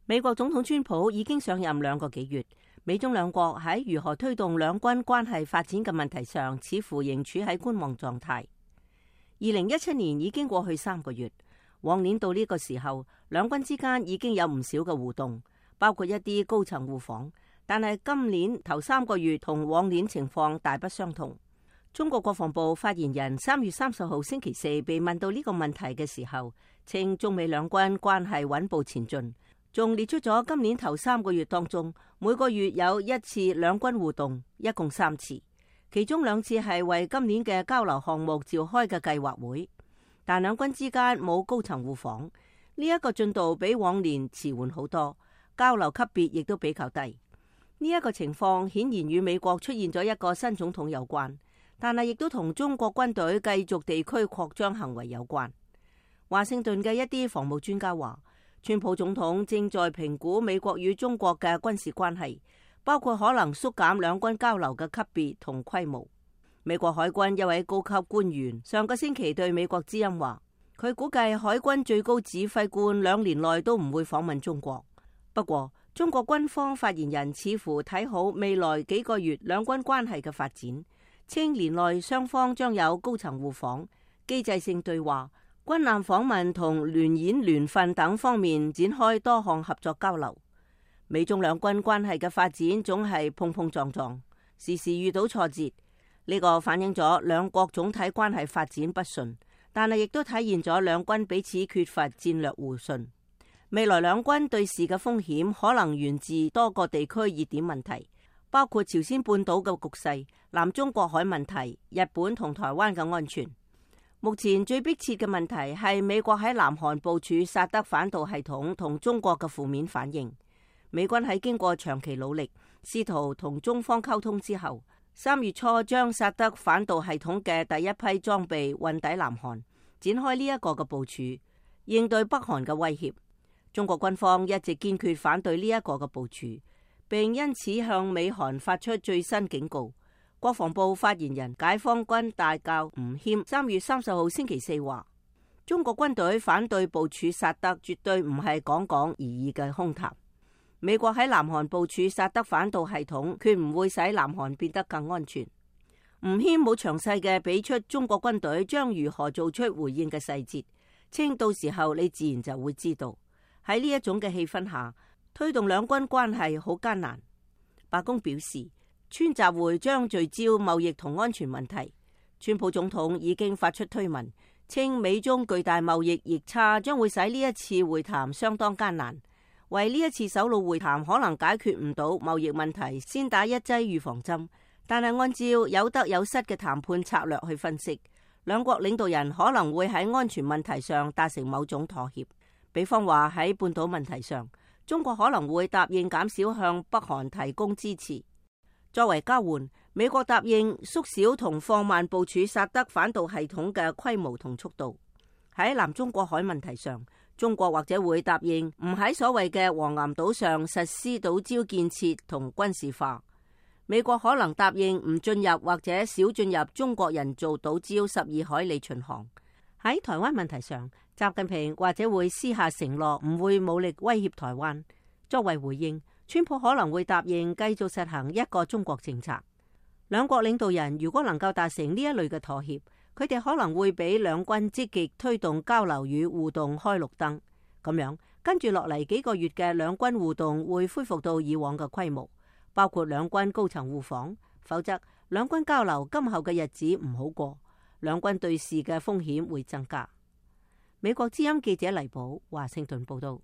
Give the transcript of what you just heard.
美國總統川普已經上任2個幾月，美中兩國喺如何推動兩軍關係發展嘅問題上，似乎仍處喺觀望狀態。2017年已經過去3個月，往年到呢個時候，兩軍之間已經有唔少嘅互動，包括一啲高層互訪。但係今年頭3個月同往年情況大不相同。中國國防部發言人3月30號星期四被問到呢個問題嘅時候，稱中美兩軍關係穩步前進，仲列出咗今年頭3個月當中每個月有1次兩軍互動，一共3次，其中2次係為今年嘅交流項目召開嘅計劃會，但兩軍之間冇高層互訪，呢一個進度比往年遲緩好多，交流級別亦都比較低。呢一個情況顯然與美國出現咗一個新總統有關，但係亦都同中國軍隊繼續地區擴張行為有關。華盛頓嘅一啲防務專家話，川普總統正在評估美國與中國嘅軍事關係，包括可能縮減兩軍交流嘅級別同規模。美國海軍一位高級官員上個星期對美國之音話，佢估計海軍最高指揮官2年內都唔會訪問中國。不過，中國軍方發言人似乎睇好未來幾個月兩軍關係嘅發展，稱年內雙方將有高層互訪、機制性對話、軍艦訪問同聯演聯訓等方面展開多項合作交流。美中兩軍關係嘅發展總係碰碰撞撞，時時遇到挫折，呢個反映咗兩國總體關係發展不順，但係亦都體現咗兩軍彼此缺乏戰略互信。未來兩軍對峙嘅風險可能源自多個地區熱點問題，包括朝鮮半島嘅局勢、南中國海問題、日本同台灣嘅安全。目前最迫切嘅問題係美國喺南韓部署薩德反導系統同中國嘅負面反應。美軍喺經過長期努力，試圖同中方溝通之後，3月初將薩德反導系統嘅第一批裝備運抵南韓，展開呢一個嘅部署，應對北韓嘅威脅。中國軍方一直堅決反對呢一個嘅部署，並因此向美韓發出最新警告。國防部發言人解放軍大校吳謙3月30號星期四話，中國軍隊反對部署薩德絕對唔係講講而已嘅空談。美國喺南韓部署薩德反導系統，決唔會使南韓變得更安全。吳謙冇詳細嘅俾出中國軍隊將如何做出回應嘅細節，稱到時候你自然就會知道。喺呢一種嘅氣氛下，推動兩軍關係好艱難。白宮表示，川習會將聚焦貿易同安全問題。川普總統已經發出推文，稱美中巨大貿易逆差將會使呢一次會談相當艱難。為呢一次首腦會談可能解決唔到貿易問題，先打一劑預防針。但係按照有得有失嘅談判策略去分析，兩國領導人可能會喺安全問題上達成某種妥協。比方話喺半島問題上，中國可能會答應減少向北韓提供支持。作為交換，美國答應縮小同放慢部署薩德反導系統嘅規模同速度。喺南中國海問題上，中國或者會答應唔喺所謂嘅黃岩島上實施島礁建設同軍事化。美國可能答應唔進入或者少進入中國人造島礁12海里巡航。喺台灣問題上，習近平或者會私下承諾唔會武力威脅台灣。作為回應，川普可能會答應繼續實行一個中國政策。兩國領導人如果能夠達成呢一類嘅妥協，佢哋可能會俾兩軍積極推動交流與互動開綠燈。咁樣跟住落嚟幾個月嘅兩軍互動會恢復到以往嘅規模，包括兩軍高層互訪。否則，兩軍交流今後嘅日子唔好過，兩軍對峙嘅風險會增加。美國之音記者黎寶華盛頓報道。